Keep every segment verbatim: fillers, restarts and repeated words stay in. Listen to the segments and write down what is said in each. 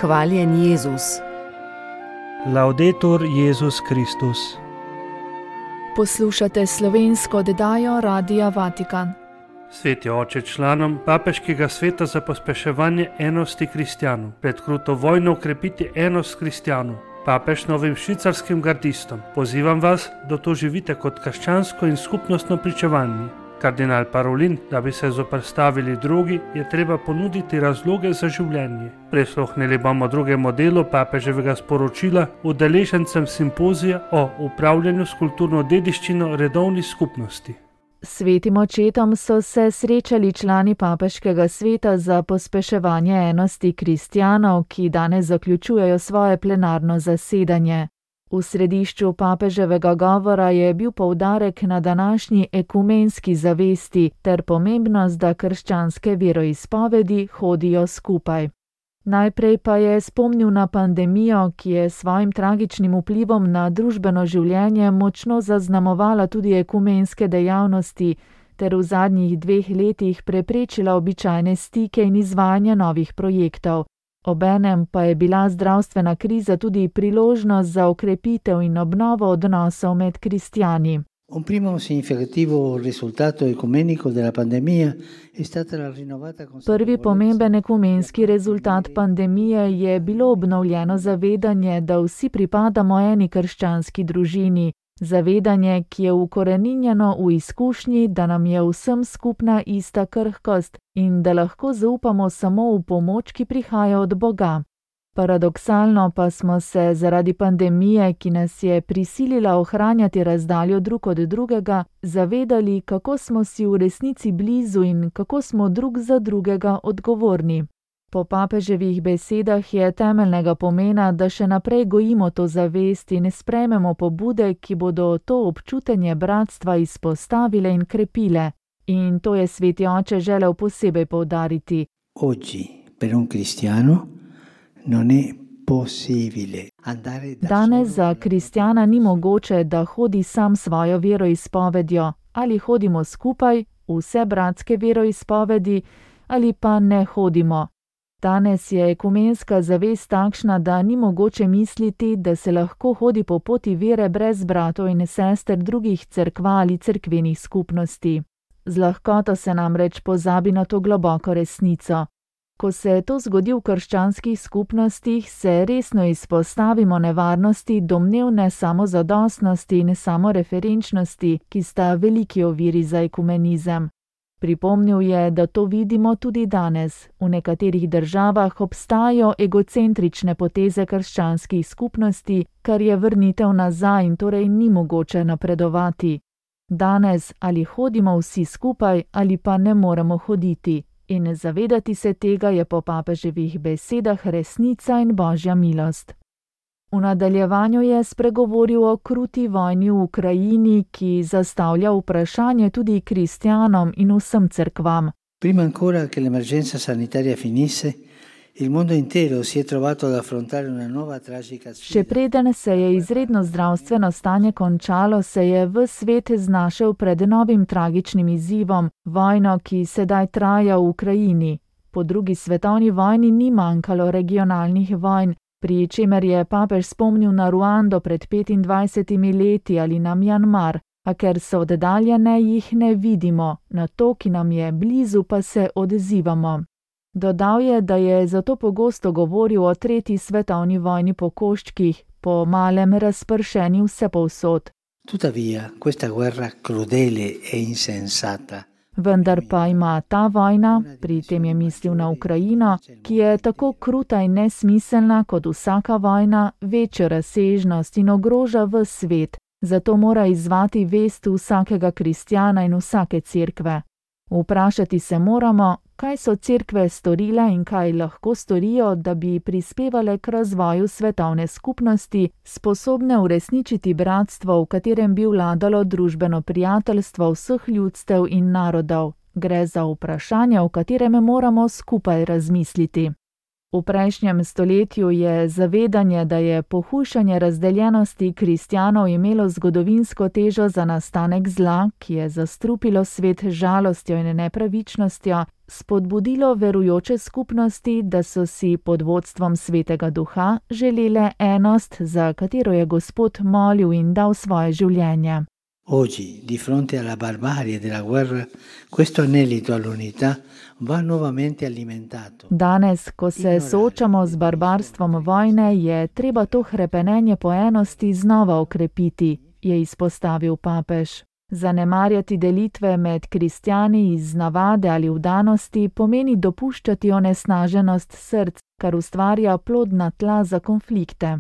Hvaljen Jezus. Laudetur Jezus Kristus. Poslušate slovensko oddajo Radia Vatikan. Sveti oče, članom Papeškega sveta za pospeševanje enosti kristjanov, pred kruto vojno ukrepiti enost kristjanov. Papež novim švicarskim gardistom: pozivam vas, da to živite kot krščansko in skupnostno pričevanje. Kardinal Parolin: da bi se zoperstavili drugi, je treba ponuditi razloge za življenje. Prisluhnili bomo drugemu delu papeževega sporočila udeležencem simpozija o upravljanju s kulturno dediščino redovnih skupnosti. Svetim očetom so se srečali člani Papeškega sveta za pospeševanje enosti kristjanov, ki danes zaključujejo svoje plenarno zasedanje. V središču papeževega govora je bil poudarek na današnji ekumenski zavesti ter pomembnost, da krščanske veroizpovedi hodijo skupaj. Najprej pa je spomnil na pandemijo, ki je svojim tragičnim vplivom na družbeno življenje močno zaznamovala tudi ekumenske dejavnosti ter v zadnjih dveh letih preprečila običajne stike in izvajanje novih projektov. Obenem pa je bila zdravstvena kriza tudi priložnost za okrepitev in obnovo odnosov med kristjani. Un primo significativo risultato ecumenico della pandemia è stata la rinnovata consapevolezza. Prvi pomemben ekumenski rezultat pandemije je bilo obnovljeno zavedanje, da vsi pripadamo eni krščanski družini. Zavedanje, ki je ukoreninjeno v izkušnji, da nam je vsem skupna ista krhkost in da lahko zaupamo samo v pomoč, ki prihaja od Boga. Paradoksalno pa smo se zaradi pandemije, ki nas je prisilila ohranjati razdaljo drug od drugega, zavedali, kako smo si v resnici blizu in kako smo drug za drugega odgovorni. Po papeževih besedah je temeljnega pomena, da še naprej gojimo to zavest in sprejmemo pobude, ki bodo to občutenje bratstva izpostavile in krepile. In to je sveti oče želel posebej poudariti. Oggi, per un cristiano, non è possibile andare da Danes za kristjana ni mogoče, da hodi sam svojo veroizpovedjo, ali hodimo skupaj, vse bratske veroizpovedi, ali pa ne hodimo. Danes je ekumenska zavest takšna, da ni mogoče misliti, da se lahko hodi po poti vere brez bratov in sester drugih cerkva ali cerkvenih skupnosti. Z lahkoto se namreč pozabi na to globoko resnico. Ko se to zgodi v krščanskih skupnostih, se resno izpostavimo nevarnosti domnevne samozadostnosti in samoreferenčnosti, ki sta veliki oviri za ekumenizem. Pripomnil je, da to vidimo tudi danes. V nekaterih državah obstajajo egocentrične poteze krščanskih skupnosti, kar je vrnitev nazaj in torej ni mogoče napredovati. Danes ali hodimo vsi skupaj ali pa ne moremo hoditi. In zavedati se tega je po papeževih besedah resnica in božja milost. V nadaljevanju je spregovoril o kruti vojni v Ukrajini, ki zastavlja vprašanje tudi kristjanom in vsem cerkvam. Prima ancora che l'emergenza sanitaria finisse, il mondo intero si è trovato ad affrontare una nuova tragica sfida. Še preden se je izredno zdravstveno stanje končalo, se je ves svet znašel pred novim tragičnim izzivom, vojno, ki sedaj traja v Ukrajini. Po drugi svetovni vojni ni manjkalo regionalnih vojn, pri čemer je papež spomnil na Ruando pred petindvajsetimi leti ali na Mjanmar, a ker so oddaljene, jih ne vidimo, na to, ki nam je blizu, pa se odzivamo. Dodal je, da je zato pogosto govoril o tretji svetovni vojni po koščkih, po malem razpršeni vsepovsod. Tuttavia, questa guerra crudele e insensata Vendar pa ima ta vojna, pri tem je mislil na Ukrajino, ki je tako kruta in nesmiselna kot vsaka vojna, večjo razsežnost in ogroža ves svet, zato mora izzvati vest vsakega kristjana in vsake cerkve. Vprašati se moramo, kaj so cerkve storile in kaj lahko storijo, da bi prispevale k razvoju svetovne skupnosti, sposobne uresničiti bratstvo, v katerem bi vladalo družbeno prijateljstvo vseh ljudstev in narodov. Gre za vprašanje, o katerem moramo skupaj razmisliti. V prejšnjem stoletju je zavedanje, da je pohujšanje razdeljenosti kristjanov imelo zgodovinsko težo za nastanek zla, ki je zastrupilo svet z žalostjo in nepravičnostjo, spodbudilo verujoče skupnosti, da so si pod vodstvom Svetega Duha želele enost, za katero je Gospod molil in dal svoje življenje. Oggi, di fronte alla barbarie della guerra, questo anelito all'unità va nuovamente alimentato. Danes, ko se soočamo z barbarstvom vojne, je treba to hrepenenje po enosti znova okrepiti, je izpostavil papež. Zanemarjati delitve med kristjani iz navade ali vdanosti pomeni dopuščati onesnaženost src, kar ustvarja plodna tla za konflikte.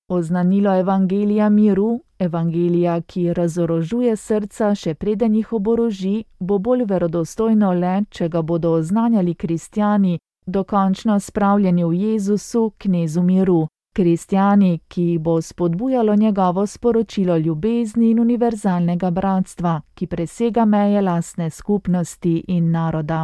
Oznanilo evangelija miru, evangelija, ki razorožuje srca, še preden jih oboroži, bo bolj verodostojno le, če ga bodo oznanjali kristjani, dokončno spravljeni v Jezusu, knezu miru. Kristjani, ki bo spodbujalo njegovo sporočilo ljubezni in univerzalnega bratstva, ki presega meje lastne skupnosti in naroda.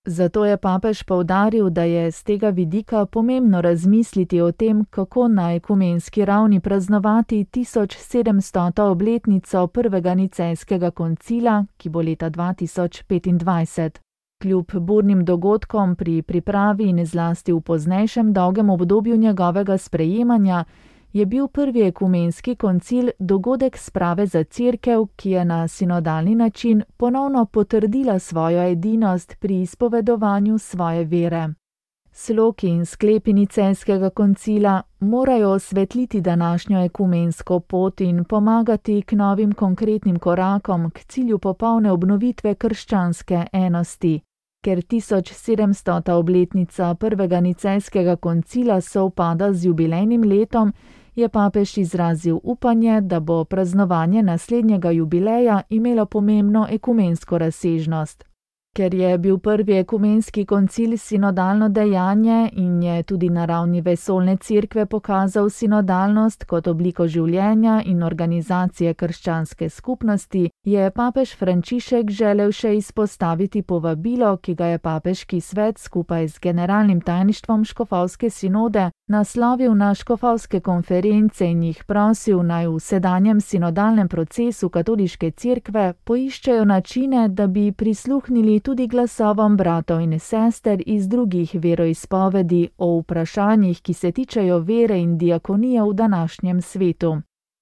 Zato je papež poudaril, da je z tega vidika pomembno razmisliti o tem, kako na ekumenski ravni praznovati tisoč sedemstoto obletnico prvega nicejskega koncila, ki bo leta dva tisoč petindvajset. Kljub burnim dogodkom pri pripravi in zlasti v poznejšem dolgem obdobju njegovega sprejemanja, je bil prvi ekumenski koncil dogodek sprave za cerkev, ki je na sinodalni način ponovno potrdila svojo edinost pri izpovedovanju svoje vere. Sloki in sklepi nicejskega koncila morajo osvetliti današnjo ekumensko pot in pomagati k novim konkretnim korakom k cilju popolne obnovitve krščanske enosti. Ker tisoč sedemstota obletnica prvega nicejskega koncila sovpada z jubilejnim letom, je papež izrazil upanje, da bo praznovanje naslednjega jubileja imelo pomembno ekumensko razsežnost. Ker je bil prvi ekumenski koncil sinodalno dejanje in je tudi na ravni vesoljne cerkve pokazal sinodalnost kot obliko življenja in organizacije krščanske skupnosti, je papež Frančišek želel še izpostaviti povabilo, ki ga je papeški svet skupaj z generalnim tajništvom škofovske sinode naslovil na škofovske konference in jih prosil, naj v sedanjem sinodalnem procesu katoliške cerkve poiščejo načine, da bi prisluhnili tudi glasovom bratov in sester iz drugih veroizpovedi o vprašanjih, ki se tičejo vere in diakonije v današnjem svetu.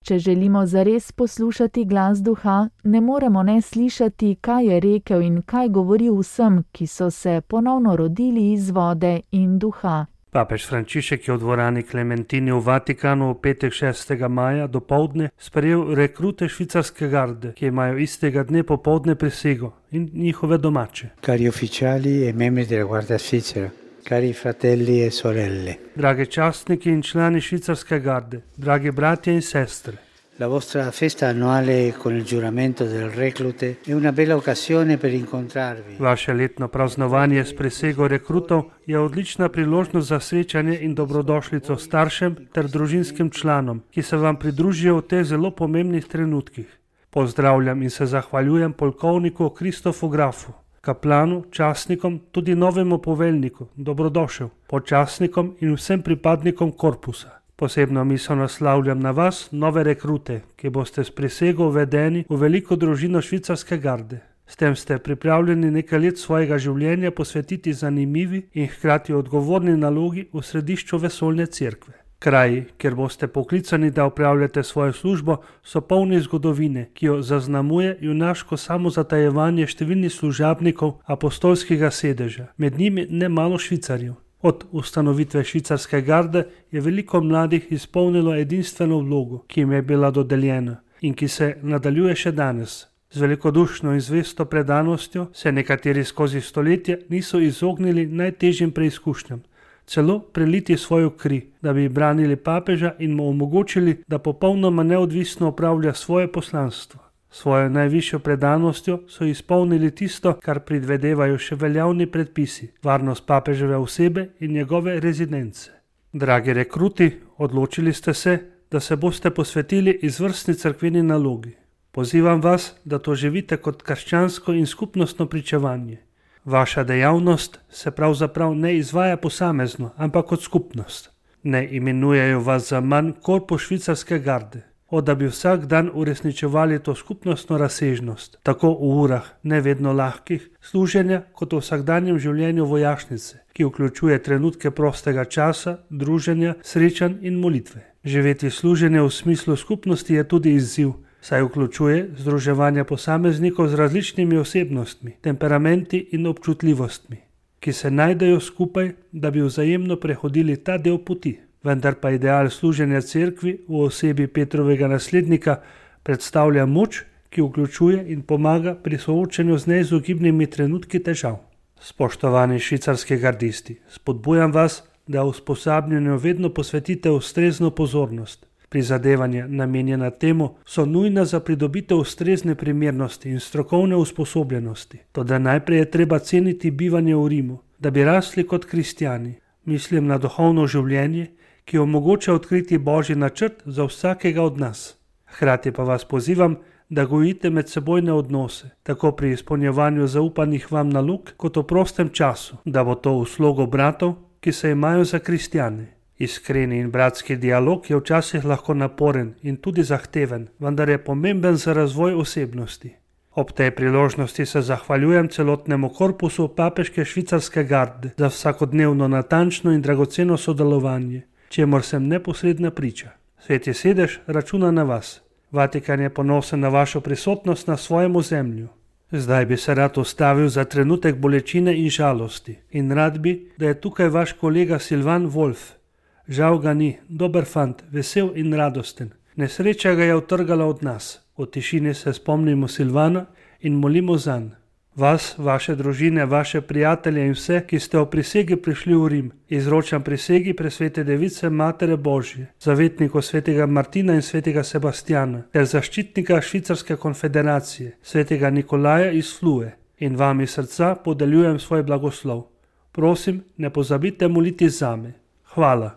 Če želimo zares poslušati glas duha, ne moremo ne slišati, kaj je rekel in kaj govori vsem, ki so se ponovno rodili iz vode in duha. Papež Frančišek je v dvorani Klementini v Vatikanu v petek šestega maja dopoldne sprejel rekrute švicarske garde, ki imajo istega dne popoldne prisego, in njihove domače. Cari ufficiali e membri della Guardia Svizzera, cari fratelli e sorelle. Dragi častniki in člani švicarske garde, dragi bratje in sestre. La vostra festa annuale con il giuramento del reclute è una bella occasione per incontrarvi. Vaše letno praznovanje s prisego rekrutov je odlična priložnost za srečanje in dobrodošlico staršem ter družinskim članom, ki se vam pridružijo v teh zelo pomembnih trenutkih. Pozdravljam in se zahvaljujem polkovniku Kristofu Grafu, kaplanu, častnikom, tudi novemu poveljniku, dobrodošel, počastnikom in vsem pripadnikom korpusa. Posebno misel naslavljam na vas, nove rekrute, ki boste s prisego uvedeni v veliko družino švicarske garde. S tem ste pripravljeni nekaj let svojega življenja posvetiti zanimivi in hkrati odgovorni nalogi v središču vesoljne cerkve. Kraji, kjer boste poklicani, da opravljate svojo službo, so polni zgodovine, ki jo zaznamuje junaško samozatajevanje številnih služabnikov apostolskega sedeža, med njimi ne malo Švicarjev. Od ustanovitve švicarske garde je veliko mladih izpolnilo edinstveno vlogo, ki jim je bila dodeljena in ki se nadaljuje še danes. Z velikodušno in zvesto predanostjo se nekateri skozi stoletje niso izognili najtežjim preizkušnjam, celo preliti svojo kri, da bi branili papeža in mu omogočili, da popolnoma neodvisno opravlja svoje poslanstvo. Svojo najvišjo predanostjo so izpolnili tisto, kar predvedevajo še veljavni predpisi, varnost papeževe osebe in njegove rezidence. Dragi rekruti, odločili ste se, da se boste posvetili izvrstni cerkveni nalogi. Pozivam vas, da to živite kot krščansko in skupnostno pričevanje. Vaša dejavnost se pravzaprav ne izvaja posamezno, ampak kot skupnost. Ne imenujejo vas za manj korpus švicarske garde. od da bi vsak dan uresničevali to skupnostno razsežnost, tako v urah ne vedno lahkih služenja, kot v vsakdanjem življenju vojašnice, ki vključuje trenutke prostega časa, druženja, srečanj in molitve. Živeti služenje v smislu skupnosti je tudi izziv, saj vključuje združevanje posameznikov z različnimi osebnostmi, temperamenti in občutljivostmi, ki se najdejo skupaj, da bi vzajemno prehodili ta del poti. Vendar pa ideal služenja cerkvi v osebi Petrovega naslednika predstavlja moč, ki vključuje in pomaga pri soočanju z neizogibnimi trenutki težav. Spoštovani švicarski gardisti, spodbujam vas, da usposabljanju vedno posvetite ustrezno pozornost. Prizadevanja, namenjena temu, so nujna za pridobitev ustrezne primernosti in strokovne usposobljenosti. Toda najprej je treba ceniti bivanje v Rimu, da bi rasli kot kristjani. Mislim na duhovno življenje, ki omogoča odkriti Božji načrt za vsakega od nas. Hkrati pa vas pozivam, da gojite medsebojne odnose, tako pri izpolnjevanju zaupanih vam nalog, kot v prostem času, da bo to v slogu bratov, ki se imajo za kristjane. Iskreni in bratski dialog je včasih lahko naporen in tudi zahteven, vendar je pomemben za razvoj osebnosti. Ob tej priložnosti se zahvaljujem celotnemu korpusu papeške švicarske garde za vsakodnevno natančno in dragoceno sodelovanje, čemur sem neposredna priča. Sveti sedež računa na vas. Vatikan je ponosen na vašo prisotnost na svojem ozemlju. Zdaj bi se rad ustavil za trenutek bolečine in žalosti in rad bi, da je tukaj vaš kolega Silvan Wolf. Žal ga ni, dober fant, vesel in radosten. Nesreča ga je utrgala od nas. V tišini se spomnimo Silvana in molimo zanj. Vas, vaše družine, vaše prijatelje in vse, ki ste o prisegi prišli v Rim, izročam prisegi presvete device Matere Božje, zavetniku svetega Martina in svetega Sebastjana, ter zaščitnika Švicarske konfederacije, svetega Nikolaja iz Flue, in vam iz srca podeljujem svoj blagoslov. Prosim, ne pozabite moliti zame. Hvala.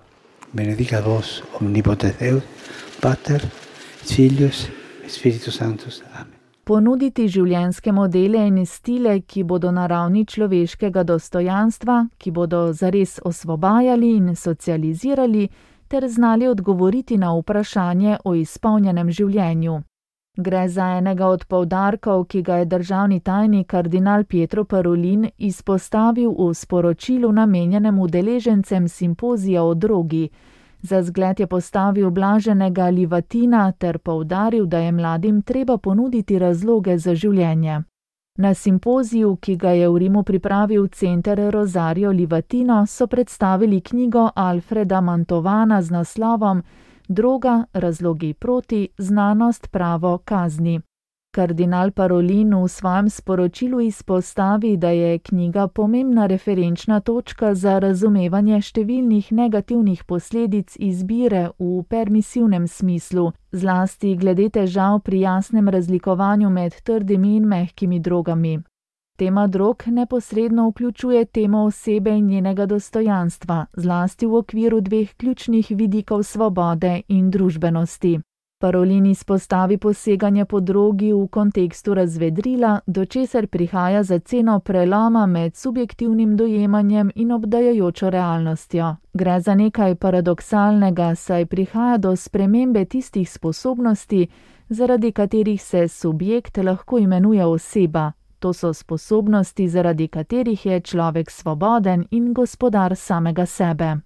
Benedicat vos omnipotens Deus, Pater, Filius, Spiritus Sanctus. Amen. Ponuditi življenjske modele in stile, ki bodo na ravni človeškega dostojanstva, ki bodo zares osvobajali in socializirali, ter znali odgovoriti na vprašanje o izpolnjenem življenju. Gre za enega od poudarkov, ki ga je državni tajnik kardinal Pietro Parolin izpostavil v sporočilu namenjenem udeležencem simpozija o drogi. Za zgled je postavil blaženega Livatina ter poudaril, da je mladim treba ponuditi razloge za življenje. Na simpoziju, ki ga je v Rimu pripravil center Rosario Livatino, so predstavili knjigo Alfreda Mantovana z naslovom Droga, razlogi proti, znanost, pravo, kazni. Kardinal Parolin v svojem sporočilu izpostavi, da je knjiga pomembna referenčna točka za razumevanje številnih negativnih posledic izbire v permisivnem smislu, zlasti glede težav pri jasnem razlikovanju med trdimi in mehkimi drogami. Tema drog neposredno vključuje temo osebe in njenega dostojanstva, zlasti v okviru dveh ključnih vidikov svobode in družbenosti. Parolin izpostavi poseganje po drogi v kontekstu razvedrila, do česar prihaja za ceno preloma med subjektivnim dojemanjem in obdajajočo realnostjo. Gre za nekaj paradoksalnega, saj prihaja do spremembe tistih sposobnosti, zaradi katerih se subjekt lahko imenuje oseba. To so sposobnosti, zaradi katerih je človek svoboden in gospodar samega sebe.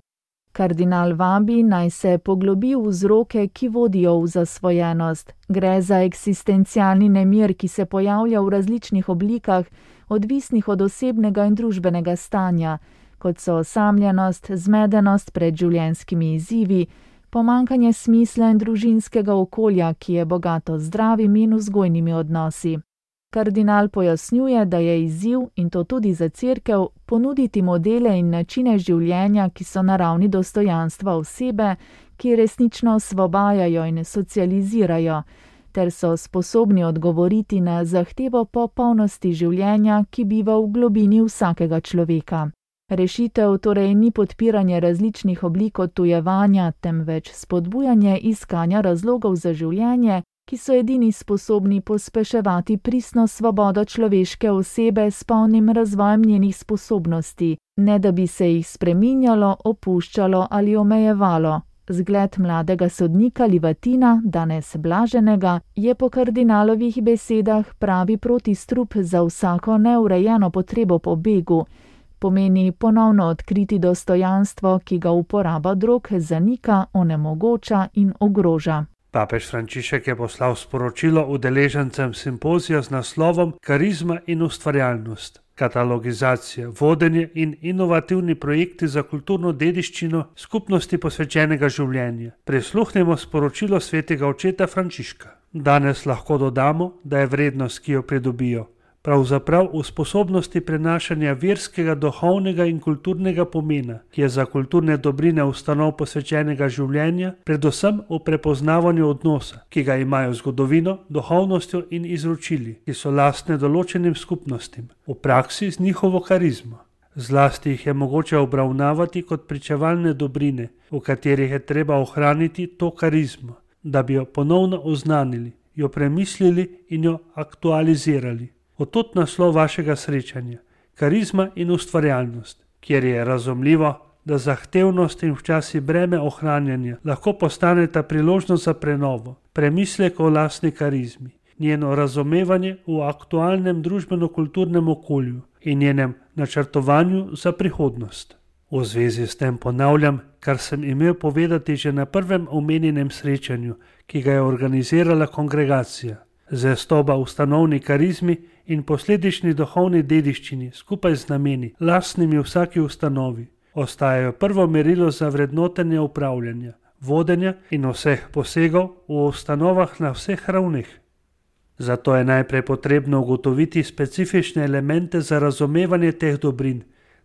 Kardinal vabi naj se poglobi v vzroke, ki vodijo v zasvojenost. Gre za eksistencialni nemir, ki se pojavlja v različnih oblikah, odvisnih od osebnega in družbenega stanja, kot so osamljenost, zmedenost pred življenjskimi izzivi, pomanjkanje smisla in družinskega okolja, ki je bogato z zdravimi in vzgojnimi odnosi. Kardinal pojasnjuje, da je izziv, in to tudi za cerkev, ponuditi modele in načine življenja, ki so na ravni dostojanstva osebe, ki resnično osvobajajo in socializirajo, ter so sposobni odgovoriti na zahtevo po polnosti življenja, ki biva v globini vsakega človeka. Rešitev torej ni podpiranje različnih oblik odtujevanja, temveč spodbujanje iskanja razlogov za življenje, ki so edini sposobni pospeševati pristno svobodo človeške osebe s polnim razvojem njenih sposobnosti, ne da bi se jih spreminjalo, opuščalo ali omejevalo. Zgled mladega sodnika Livatina, danes blaženega, je po kardinalovih besedah pravi protistrup za vsako neurejeno potrebo po begu. Pomeni ponovno odkriti dostojanstvo, ki ga uporaba drog zanika, onemogoča in ogroža. Papež Frančišek je poslal sporočilo udeležencem simpozija z naslovom Karizma in ustvarjalnost, katalogizacija, vodenje in inovativni projekti za kulturno dediščino skupnosti posvečenega življenja. Prisluhnimo sporočilo svetega očeta Frančiška. Danes lahko dodamo, da je vrednost, ki jo pridobijo, pravzaprav v sposobnosti prenašanja verskega, duhovnega in kulturnega pomena, ki je za kulturne dobrine ustanov posvečenega življenja, predvsem v prepoznavanju odnosa, ki ga imajo z zgodovino, duhovnostjo in izročili, ki so lastne določenim skupnostim, v praksi z njihovo karizmo. Zlasti jih je mogoče obravnavati kot pričevalne dobrine, v katerih je treba ohraniti to karizmo, da bi jo ponovno oznanili, jo premislili in jo aktualizirali. Od naslov vašega srečanja, karizma in ustvarjalnost, kjer je razumljivo, da zahtevnost in včasih breme ohranjanja lahko postaneta priložnost za prenovo, premislek o lastni karizmi, njeno razumevanje v aktualnem družbeno-kulturnem okolju in njenem načrtovanju za prihodnost. V zvezi s tem ponavljam, kar sem imel povedati že na prvem omenjenem srečanju, ki ga je organizirala kongregacija. Zvestoba ustanovni karizmi in posledični duhovni dediščini skupaj z nameni, lastnimi vsaki ustanovi, ostajajo prvo merilo za vrednotenje upravljanja, vodenja in vseh posegov v ustanovah na vseh ravneh. Zato je najprej potrebno ugotoviti specifične elemente za razumevanje teh dobrin,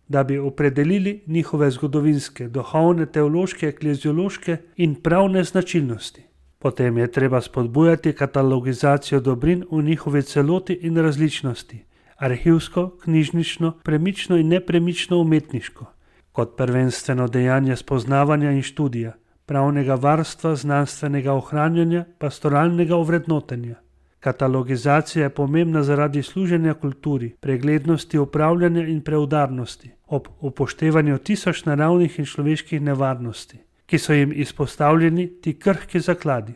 da bi opredelili njihove zgodovinske, duhovne, teološke, ekleziološke in pravne značilnosti. Potem je treba spodbujati katalogizacijo dobrin v njihovi celoti in različnosti, arhivsko, knjižnično, premično in nepremično umetniško, kot prvenstveno dejanje spoznavanja in študija, pravnega varstva, znanstvenega ohranjanja, pastoralnega ovrednotenja. Katalogizacija je pomembna zaradi služenja kulturi, preglednosti upravljanja in preudarnosti, ob upoštevanju tisoč naravnih in človeških nevarnosti, ki so jim izpostavljeni ti krhki zakladi.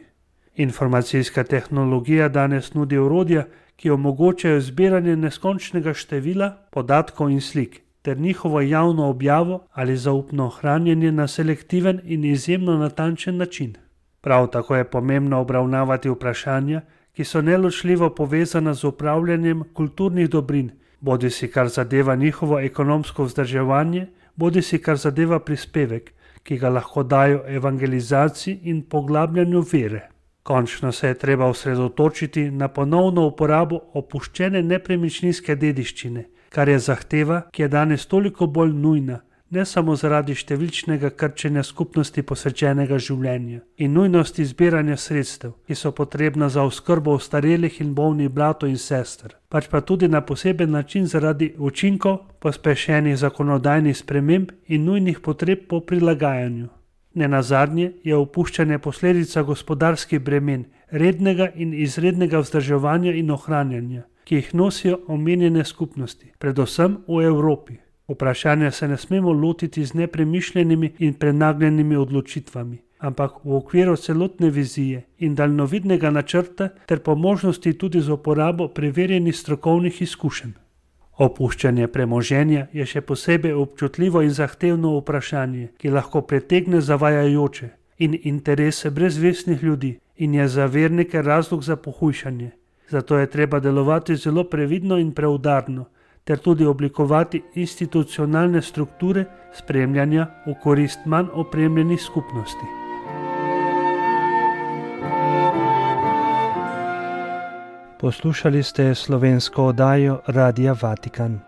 Informacijska tehnologija danes nudi orodja, ki omogočajo zbiranje neskončnega števila podatkov in slik, ter njihovo javno objavo ali zaupno hranjenje na selektiven in izjemno natančen način. Prav tako je pomembno obravnavati vprašanja, ki so neločljivo povezana z upravljanjem kulturnih dobrin, bodisi kar zadeva njihovo ekonomsko vzdrževanje, bodisi kar zadeva prispevek, ki ga lahko dajo evangelizaciji in poglabljanju vere. Končno se je treba osredotočiti na ponovno uporabo opuščene nepremičninske dediščine, kar je zahteva, ki je danes toliko bolj nujna, ne samo zaradi številčnega krčenja skupnosti posvečenega življenja in nujnosti zbiranja sredstev, ki so potrebna za oskrbo ostarelih in bolnih bratov in sester, pač pa tudi na poseben način zaradi učinkov pospešenih zakonodajnih sprememb in nujnih potreb po prilagajanju. Nenazadnje je opuščanje posledica gospodarskih bremen, rednega in izrednega vzdrževanja in ohranjanja, ki jih nosijo omenjene skupnosti, predvsem v Evropi. Vprašanja se ne smemo lotiti z nepremišljenimi in prenagljenimi odločitvami, ampak v okviru celotne vizije in daljnovidnega načrta ter po možnosti tudi z uporabo preverjenih strokovnih izkušenj. Opuščanje premoženja je še posebej občutljivo in zahtevno vprašanje, ki lahko pretegne zavajajoče in interese brezvestnih ljudi in je za vernike razlog za pohujšanje. Zato je treba delovati zelo previdno in preudarno, ter tudi oblikovati institucionalne strukture spremljanja v korist manj opremljenih skupnosti. Poslušali ste slovensko oddajo Radia Vatikan.